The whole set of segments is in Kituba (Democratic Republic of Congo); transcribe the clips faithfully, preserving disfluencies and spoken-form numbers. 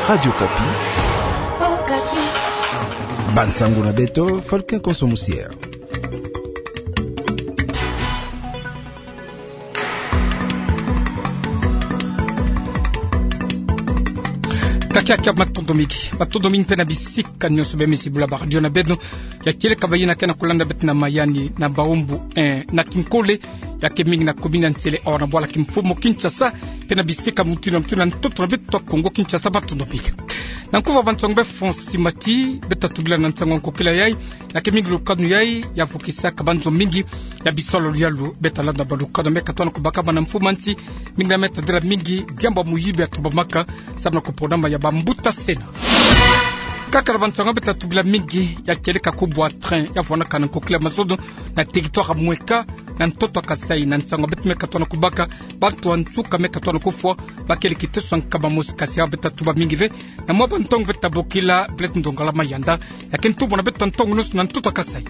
Radio Okapi. Bansango na beto, Faustin Konso Musiere. Kakiaki, matondo mingi. Matondo mingi mpe na bisika nyonso bemisi bula ba radio na beno. Ya kieleka bayina ke na kulanda beto na mayani na Baoumou un na Kinkole, ya ke mingi na commune ya Nsele, awa na bwala kimfumu Kinshasa, mpe na bisika mutindu na mutindu na ntoto na beto Kongo Kinshasa, matondo mingi. Na nkufi ya bansango befo nsimati, beta tubila na nsango ya nkokila yai, ya ke mingi lukanu yai ya vukisaka banzo mingi ya bisalu ya luyalu. Beta landa balukanu me katona kubaka bana mfumu a nsi, mingi na me tadila mingi diambu ya muyibi ya tubamaka samu na kuponama ya bambuta Sénat. Kaka na bansango beta tubila mingi, ya kieleka kubwa train ya vwanaka na nkokila mazono na territoire mweka na ntoto Kasaï. Na nsango beto me katona kubaka, bantu ya nsuka me katona kufwa, bakele kiteso ya nkama mosi, kasi ya beta tuba mingi ve. Na mwa bantango beta bokila Blaise Ndongala Mayanda, ya ke ntumwa na beto ntango nyonso na ntoto Kasaï.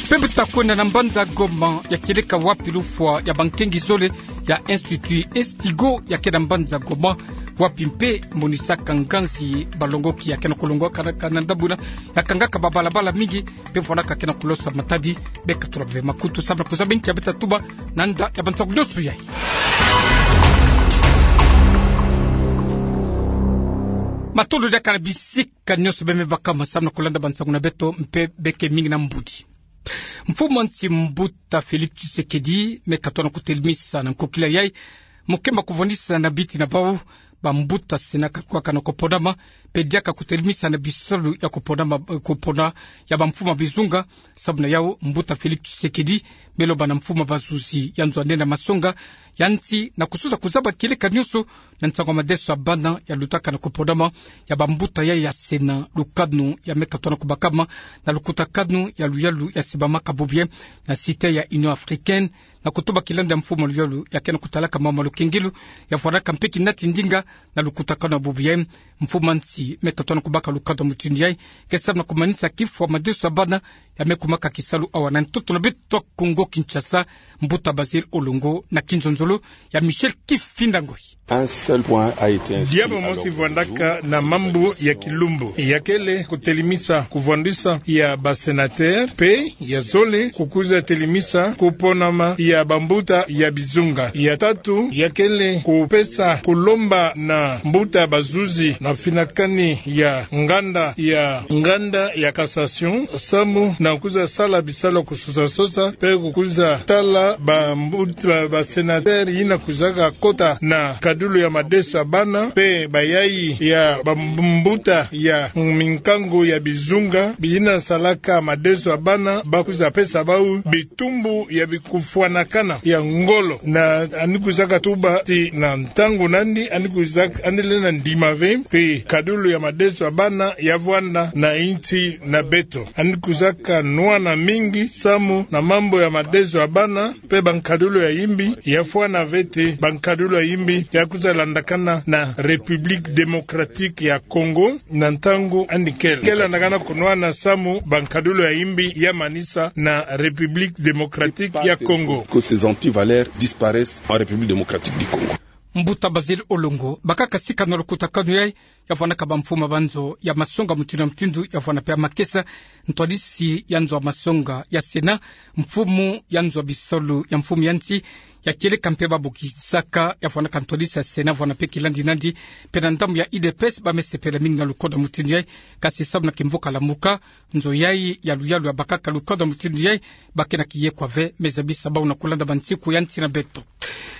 Mpe beta kwenda na mbanza Goma, ya kieleka wapi lufwa ya bankengi zole ya Institut Instigo ya ke na mbanza Goma, wapi mpe monisaka nganzi balongoki ya ke na kulongoka na, na ndambu yina, ya kangaka babalabala mingi, mpe vwanaka ke na kulosa matadi. Beka tula bebe makutu samu na kuzaba nki ya beta tuba na nda ya bansango nyonso yai. Matondo diaka na bisika nyonso beme bakama samu na kulanda bansango na beto, mpe beke mingi na mbudi. Mfumu a nsi mbuta Félix Tshisekedi me katona kutelemisa na nkokila yai mokemba kuvwandisa na biti na bau bambuta Sénat katukaka na kuponama, mpe diaka kutelemisa na bisalu ya kuponama, kupona ya bamfumu ya bizunga. Samu na yau, mbuta Félix Tshisekedi me loba na mfumu ya bazuzi ya nzo ya nene ya masonga ya nsi na kususa kuzaba kieleka nyonso na nsango ya madeso ya bana ya lutaka na kuponama ya bambuta yai ya Sénat, lukanu ya me katona kubakama na lukutakanu ya luyalu ya sibamaka bubu yai na cité ya Union Africaine, na kutuba kilanda ya mfumu ya luyalu ya ke na kutalaka mambu ya lukengilu ya vwanaka mpe kinati ndinga na lukutakanu ya bubu yai. Mfumu a nsi me katona kubaka lukanu ya mutindu yai ke samu na kumanisa kifwa madeso ya bana ya me kumaka kisalu awa na ntoto na beto Kongo Kinshasa. Mbuta Basil Olongo na kinzonzolo ya Michel Kifinda Ngoi. Un seul point a été inscrit à l'ordre du jour. Diambu mosi vwandaka na mambu ya kilumbu, ya kele kutelemisa kuvwandisa ya ba sénateur, mpe ya zole kukwiza telemisa kuponama ya bambuta ya bizunga. Ya tatu, ya kele kupesa kulomba na mbuta bazuzi na finakani ya nganda ya, nganda ya cassation, samu na kwiza sala bisalu kusosa sosa, mpe kukwiza tala bambuta, ba, ba sénateur yina kwizaka kota na nkadulu ya madeso ya bana, mpe bayai ya bambuta ya minkangu ya bizunga, biyina salaka madeso ya bana, bakwiza pesa bau bitumbu ya bikufwanakana ya ngolo. Na yandi kwizaka tuba ti na ntangu na yandi, yandi kwizaka, yandi lenda ndima ve ti nkadulu ya madeso ya bana ya vwanda na insi na beto. Yandi kwizaka nwana mingi samu na mambu ya madeso ya bana, mpe bankadulu ya yimbi ya fwana ve ti bankadulu ya yimbi ya kwiza landakana na République Démocratique ya Congo na ntangu yandi kele. Kele landakana kunwana samu bankadulu ya yimbi ya manisa na République Démocratique ya Congo. Que ces antivaleurs disparaissent en République Démocratique du Congo. Mbuta Basil Olongo, bakaka sika na lukutakanu yai, ya vwanaka bamfumu ya banzo ya masonga mutindu na mutindu, ya vwana mpe ya makesa, ntwadisi ya nzo ya masonga ya Sénat, mfumu ya nzo ya bisalu ya mfumu ya nsi, ya kieleka mpe babokisaka, ya vwanaka ntwadisi ya Sénat, vwana mpe kilandi nandi, mpe na ndambu ya U D P S, bamesepela mingi na lukanu ya mutindu yai, kasi samu na kimvuka lamuka, nzo yai ya luyalu ya bakaka lukanu ya mutindu yai, ba ke na kiyekwa ve, me zabisa bau na kulanda bansiku ya nsi na beto.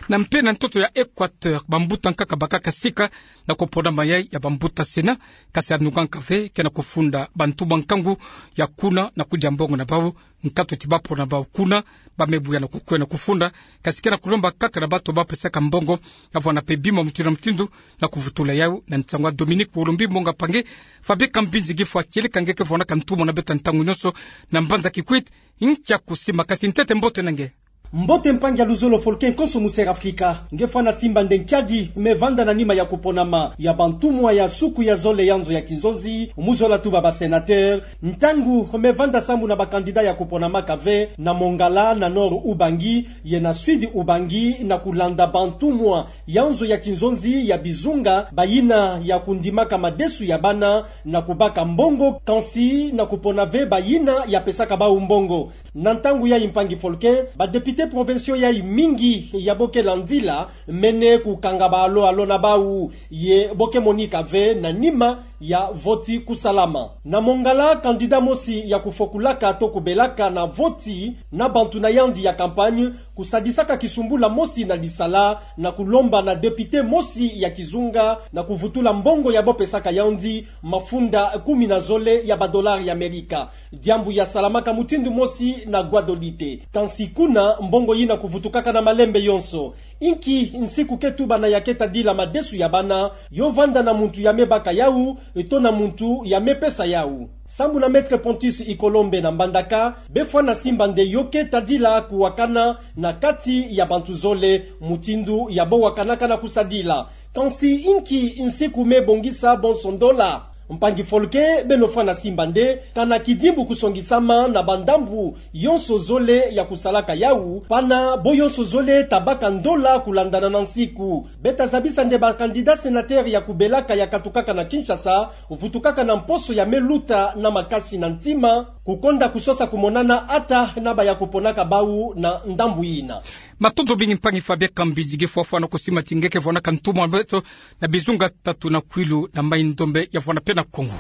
Na mpe na ntoto ya Équateur, bambuta nkaka bakaka sika na kuponama yai ya bambuta Sénat, kasi anungaka ve ke na kufunda bantu ba nkangu ya kuna na kudia mbongo na bau, nkatu ti bapona bau kuna, bamebuya na kukwenda kufunda, kasi ke na kulomba kaka na bato bapesaka mbongo, ya vwana mpe bima mutindu na mutindu, na kuvutula yau na nsangu ya Dominique Olombi Mongapangé, Fabien Kambinzi Gifwa, kieleka nge ke vwanaka ntumwa na beto ntangu nyonso na mbanza Kikwit. Nkia kusimakasi, ntete mbote na nge. Mbote mpangi ya luzolo Volcan konso mu Sera Afrika. Nge fwana simba nde nkiadi me vanda na nima ya kuponama ya bantumwa ya suku ya zole ya nzo ya kinzonzi, mu zola tuba ba sénateur, ntangu me vanda sambu na ba candidat ya kuponamaka ve na Mongala, na Nord Ubangi, ye na Sud Ubangi, na kulanda bantumwa ya nzo ya kinzonzi ya bizunga, bayina ya kundimaka madesu ya bana na kubaka mbongo, kansi na kupona ve bayina ya pesaka bawu mbongo. Na ntangu yayi, mpangi Volcan, ba députés provinciaux yayi mingi ya bo ke landila mene kukanga ba alo-alo na bawu, ye bo ke monika ve na nima ya voti kusalama. Na Mongala, candidat mosi ya kufokulaka to kubelaka na voti na bantu na yandi ya campagne kusadisaka kisumbula mosi na lisala na kulomba na député mosi ya kizunga na kuvutula mbongo ya bo pesaka yandi, mafunda kumi na zole ya ba dollars ya Amerika. Diambu ya salamaka mutindu mosi na Guadolite. Kansi kuna, mbongo yina kuvutukaka na malembe yonso. Inki nsiku ke tuba na ya ke tadila madesu ya bana, yo vanda na muntu ya me baka yawu, to na muntu ya me pesa yawu? Sambu na Maître Pontus Ikolombe na Mbandaka, be fwana simba nde yo ke tadila kuwakana na kati ya bantu zole, mutindu ya bo wakanaka na kusadila. Kansi inki nsiku me bongisa bonso ndola? Mpangi Volcan, beno fwana simba nde, kana kidimbu kusongisama na bandambu yonso zole ya kusalaka yawu, pana bo yonso zole ta baka ndola kulandana na nsiku. Beta zabisa nde ba candidat sénateur ya kubelaka ya katukaka na Kinshasa, vutukaka na mposo ya me luta na makasi na ntima, kukonda kusosa kumonana ata na ba ya kuponaka bawu na ndambu yina. Matondo mingi mpangi Fabien Kambinzi. Nge fwa fwana kusimati, nge ke vwanaka ntumwa beto na bizunga tatu na Kwilu na Mai-Ndombe ya vwana pe na Kongo.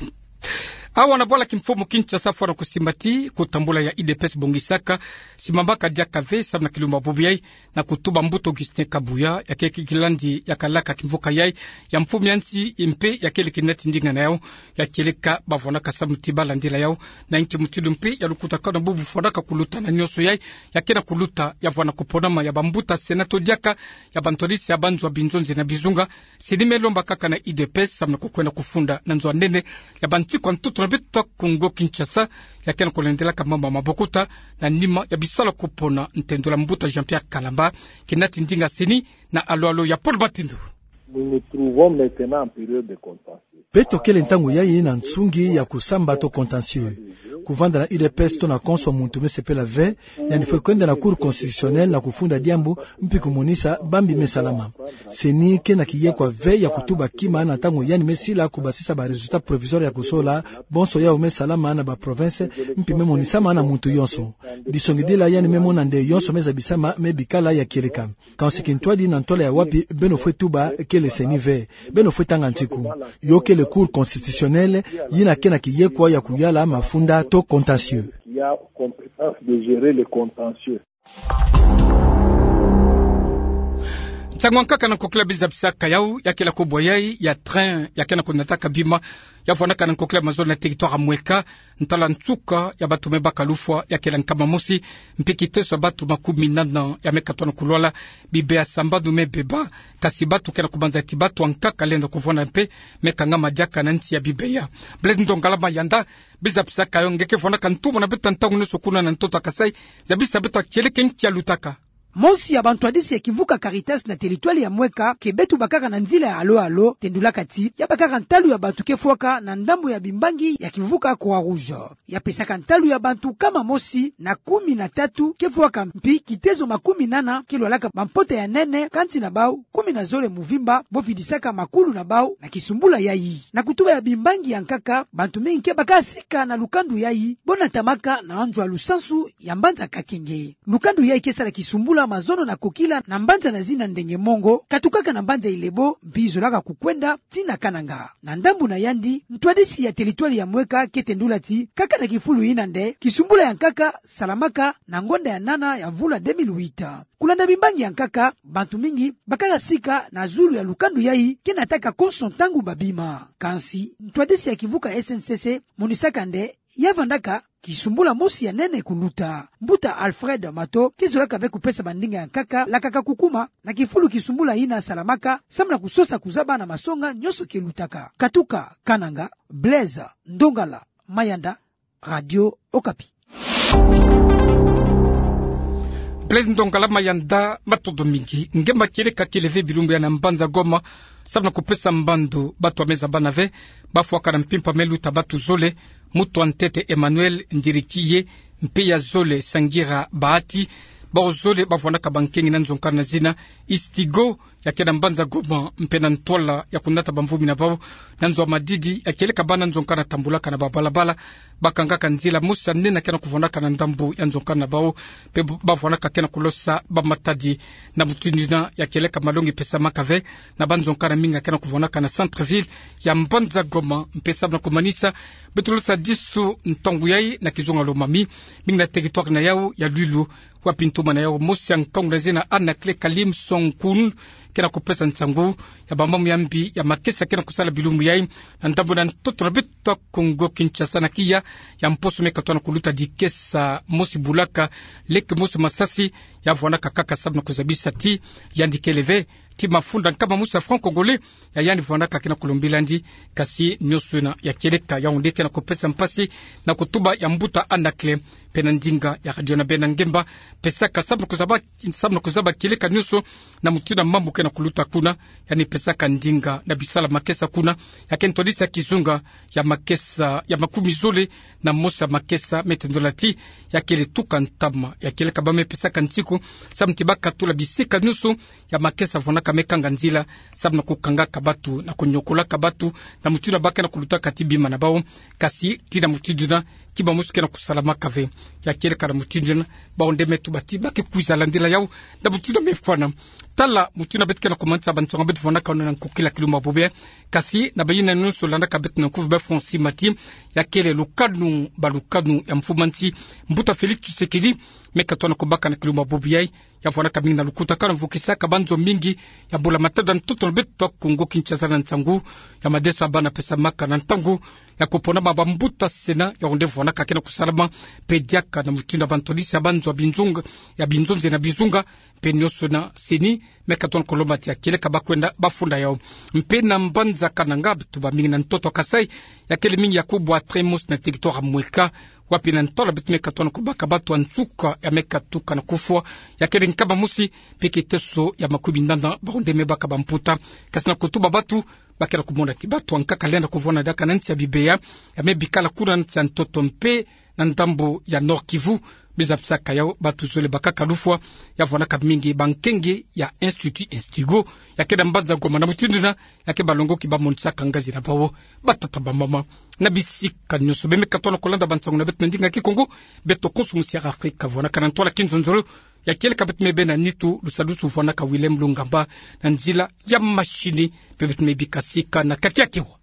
Awa na bwala kimfumu Kinshasa, fwana kusimati, kutambula ya U D P S bongisaka, simamaka diaka ve samu na kilumbu bubu yayi, na kutuba mbuta Augustin Kabuya, ya ke kilandi ya kalaka kimvuka yayi ya mfumu ya nsi, mpe ya kele kinati ndinga na yawu, ya kieleka ba vwanaka samu ti ba landila yawu na inki mutindu mpe ya lukutaka na bubu fwanaka kuluta na nyonso yayi ya ke na kuluta, ya vwana kuponama ya bambuta sena to diaka ya bantwadisi ya banzo ya binzonzi na bizunga. CENI me lomba kaka na U D P S samu na kukwenda kufunda na nzo ya nene ya bansiku ya ntoto na beto Kongo Kinshasa, ya ke na kulandelaka mambu ya mabokuta na nima ya bisalu ya kupona ntendula mbuta Jean-Pierre Kalamba, kinati ndinga CENI, na alo-alo ya Paul Batindu. Nous nous trouvons maintenant en période de contentieux. Beto kele ntangu yayi na nsungi ya kusamba to contentieux. Kuvanda na U D P S to na konso muntu me sepela ve, yandi fwe kwenda na Cour constitutionnelle na kufunda diambu mpi kumonisa bambi me salama. CENI ke na kiyekwa ve ya kutuba kima na ntangu yandi me sila kubasisa ba résultats provisoires ya kusola bonso yawu me salama na ba provinces, mpi me monisama na muntu yonso. Disongidila yandi me mona nde yonso me zabisama me bikala ya kieleka. Kansi kintwadi na ntwala ya wapi beno fwe tuba kele CENI ve. Beno fwe tanga ntiku. Yo kele Cour constitutionnelle, yina ke na kiyekwa ya kuyala mafunda to contentieux. Qui a compétence de gérer les contentieux. Nsangu ya nkaka na nkokila bizabisaka yawu, ya kele kubwa yayi ya train ya ke na kunataka bima, ya vwanaka na nkokila mazono na territoire ya Mweka, ntala nsuka ya bantu me baka lufwa ya kele nkama mosi, mpi kiteso ya bantu makumi nana ya me katwa na kulwala, bibeya sambanu me beba, kasi bantu ke na kubanza ti bantu ya nkaka lenda kuvwanda mpe me kangama diaka na nsi ya bibeya. Blaise Ndongala Mayanda, bizabisaka yo, nge ke vwanaka ntumwa na beto ntangu nyonso kuna na ntoto ya Kasaï, zabisa beto kieleka nki ya lutaka. Mosi ya bantwadisi ya kimvuka Caritas na territoire ya Mweka ke beto bakaka na nzila ya alo-alo, tendulaka ti ya bakaka ntalu ya bantu ke fwaka na ndambu ya bimbangi ya kimvuka Croix-Rouge. Ya pesaka ntalu ya bantu nkama mosi na kumi na tatu ke fwaka, mpi kiteso makumi nana ke lwalaka bampota ya nene, kati na bawu kumi na zole muvimba bo vidisaka makulu na bawu na kisumbula yayi. Na kutuba ya bimbangi ya nkaka, bantu mingi ke bakaka sika na lukando yayi bo natamaka na anzo ya lusansu ya mbanza Kakenge. Lukando yayi ke sala kisumbula mazono na kokila na mbanza na zina Ndenge Mongo, katukaka na mbanza Ilebo, mpi zolaka kukwenda tii na Kananga. Na ndambu na yandi, ntwadisi ya territoire ya Mweka ke tendula ti, kaka na kifulu yina nde kisumbula ya nkaka salamaka na ngonda ya nana ya mvula deux mille huit. Kulanda bimbangi ya nkaka, bantu mingi bakaka sika na zulu ya lukando yayi ke nataka konso ntangu babima. Kansi ntwadisi ya kimvuka S N C C monisaka nde ya vandaka kisumbula mosi ya nene kuluta. Mbuta Alfred Mato ke zolaka ve kupesa bandinga ya nkaka lakaka kukuma na kifulu kisumbula yina salamaka, samu na kusosa kuzaba na masonga nyonso ke lutaka. Katuka Kananga, Blaise Ndongala Mayanda, Radio Okapi. Blaise Ndongalama Yanda, matondo mingi. Nge ma kieleka kele ve bilumbu ya na mbanza Goma, samu na kupesa mbandu batu ya meza bana ve, bafwaka na mpimpa me luta batu zole, mutu ya ntete Emmanuel Ndirikiye, mpe ya zole Sangira Bahati, bawu zole bavwanaka bankengi na nzonzokana na zina Istigo, ya kele na mbanza Goma, mpe na ntwala ya kunata bamvumi na bawu, na nzo ya madidi, ya kieleka bana nzonzokana tambulaka na babalabala, bakangaka nzila mosi ya nene ke na kuvwanaka na ndambu ya nzonzokana na bawu, mpe bavwanaka ke na kulosa bamatadi. Na mutindu yina ya kieleka malongi pesamaka ve na banzonzokana mingi ke na kuvwanaka na centre-ville ya mbanza Goma, mpe samu na kumanisa, beto losa disu ntangu yayi na kizunga Lomami, mingi na territoire na yawu ya Lwilu, wapi ntoma na yawu mosi ya nkangu na zina Anaclet Kalim Sonkun ke na kupesa nsangu ya bamambu ya mbi ya makesa ke na kusala bilumbu yayi na ndambu na ntoto na beto Kongo Kinshasa, na kiya ya mposo me katoa na kuluta dikesa mosi bulaka, leke mosi masasi, ya vwanaka kaka samu na kuzabisa ti yandi kele ve, ti mafunda nkama mosi ya franc congolais ya yandi vwanaka ke na kulombila'andi. Kasi nionso yina ya kieleka, yawu nde ke na kupesa mpasi na kutuba ya mbuta Anaclet, mpe na ndinga ya radio na beno ngemba, pesaka samu na kuzaba, samu na kuzaba kieleka nionso na mutindu ya mambu ke na kuluta kuna, yandi pesaka ndinga na bisalu ya makesa kuna, ya ke ntwadisa kizunga ya makesa ya makumi zole na mosi ya makesa, me tendula ti ya kele tuka ntama. Ya kieleka ba me pesaka nsiku samu ti bakatula bisika nionso ya makesa vwanaka me kanga nzila, samu na kukangaka batu, na kunyokolaka batu, na mutindu ba ke na kulutaka ti bima na bawu, kasi ti na mutindu yina kima mosi ke na kusalamaka ve. Ya kieleka na mutindu yina, bawu nde me tuba ti ba ke kwiza landila yawu na mutindu me fwana. Tala mutindu beto ke na kumanisa bansoni beto vwanaka na nkokila kilumbu ya bobo yayi, kasi na bayina nionso landaka beto na nkufi, ba fwa nsi mati, ya kele lukanu, balukanu ya mfumansi, mbuta Félix Tshisekedi, me katoa na kubaka na kilumbu ya bobo yayi, ya vwanaka mingi na lukutakanu, mvukisaka banzo mingi ya mbula matadi na ntoto na beto Kongo Kinshasa na nsangu ya madeso ya bana pesamaka na ntangu ya kuponama bambuta Sénat, yawu nde vwanaka ke na kusalama mpe diaka na mutindu ya bantwadisi ya banzo ya binzunga, ya binzonzi na bizunga, mpe nionso yina CENI me katoa na kulomba ti ya kieleka ba kwenda ba funda yawu. Mpe na mbanza Kananga, beto ba mingi na ntoto ya Kasaï, ya kele mingi ya kubwa train mosi na territoire ya Mweka, wapi na ntwala beto me katoa na kubaka batu ya nsuka ya me katuka na kufwa, ya kele nkama mosi, mpe kiteso ya makumi nana, bawu nde me baka bamputa. Kasi na kutuba batu, ba ke na kumona ti batu ya nkaka lenda kuvwanda diaka na nsi ya bibeya ya me bikala kuna na nsi ya ntoto mpe na ndambu ya Nord-Kivu. Biza bisaka yawu batu zole bakaka lufwa, ya vwanaka mingi bankengi ya Institut Istigo, ya kele na mbanza Goma. Na mutindu yina, ya ke balongoki bamonisaka ngazi na bawu, batata, bamama, na bisika nionso. Be me katoa na kulanda bansangu na beto na ndinga Kikongo, beto konso musi ya Afrika, vwanaka na ntwala kinzonzolo, ya kieleka beto me bena nitu, lusadusu vwanaka Willem Lungamba, na nzila ya machine, mpe beto me bika sika na kati ya kiwa.